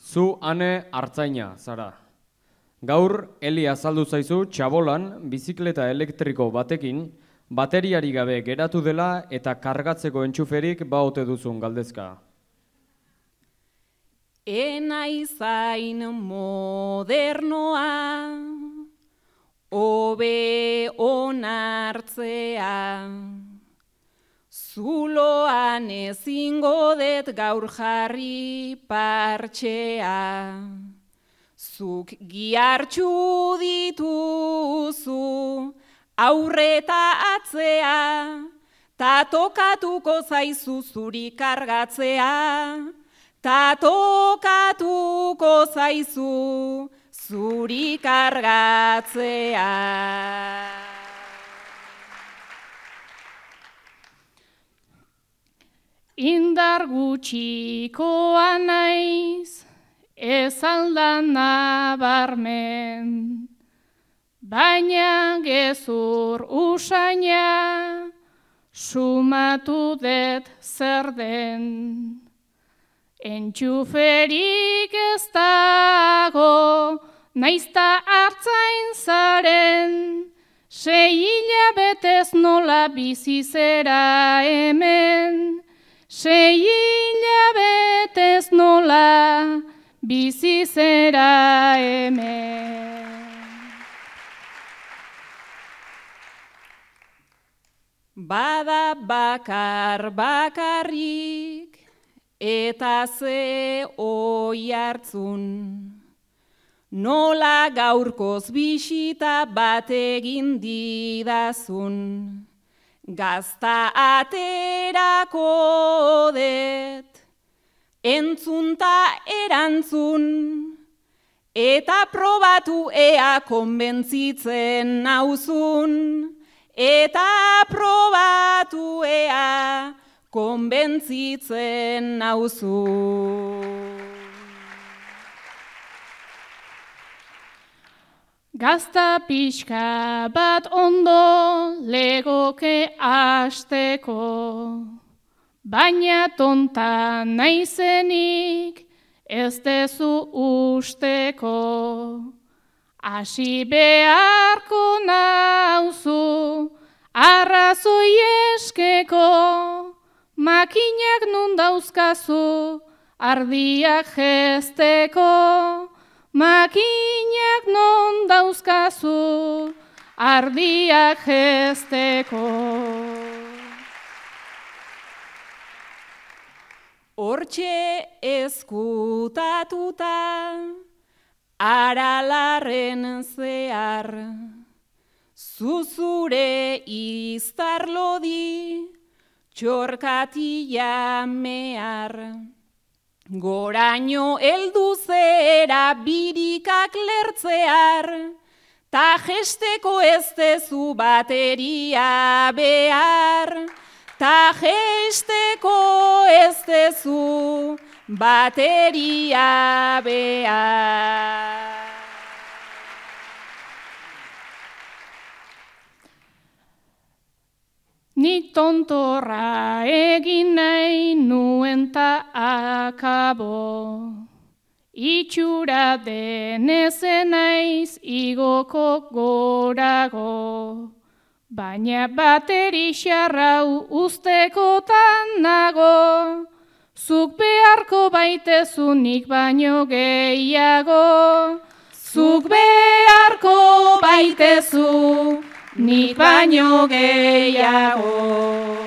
Zu ane artzaina, zara. Gaur, Eli azaldu zaizu txabolan bizikleta elektriko batekin bateriari gabe geratu dela eta kargatzeko entxuferik baote duzun galdezka. Enaizain modernoa, hobe onartzea, zuloan ezingo det gaur jarri partxea, zuk gihartxu dituzu aurreta atzea, ta tokatuko zaizu zuri kargatzea, ta tokatuko zaizu zuri kargatzea. Indar gutxikoa naiz, ez aldan nabarmen, baina gezur usaina, sumatu det zer den. Entxuferik ez dago, naizta artzain zaren, 6 hilabetez nola bizi zera hemen, 6 hilabetez nola bizi zera hemen. Bada bakarrik, eta ze oi hartzun, nola gaurkoz bisita bat egin didazun, gazta aterako det, entzunta erantzun, eta probatu ea konbentzitzen nauzun, eta probatu ea konbentzitzen nauzu. Gazta pixka bat ondo legoke hasteko, baina tonta naizenik ez dezu usteko. Hasi beharko nauzu arrazoi eskeko, makinak nun dauzkazu ardiak jesteko, makinak non dauzkazu ardiak jesteko. Hortxe ezkutatuta, aralarren zehar, zuzure iztarlodi, txorkatila mehar. Goraino heldu zera birikak lertzear, ta jesteko ez dezu bateria behar, ta jesteko ez dezu bateria behar. Nik tontorra egin nahi nuen ta akabo, itxura denezen naiz igoko gorago, baina bateri xarrau ustekotan nago, zuk beharko baitezu nik baino gehiago, zuk beharko baitezu nik baino gehiago.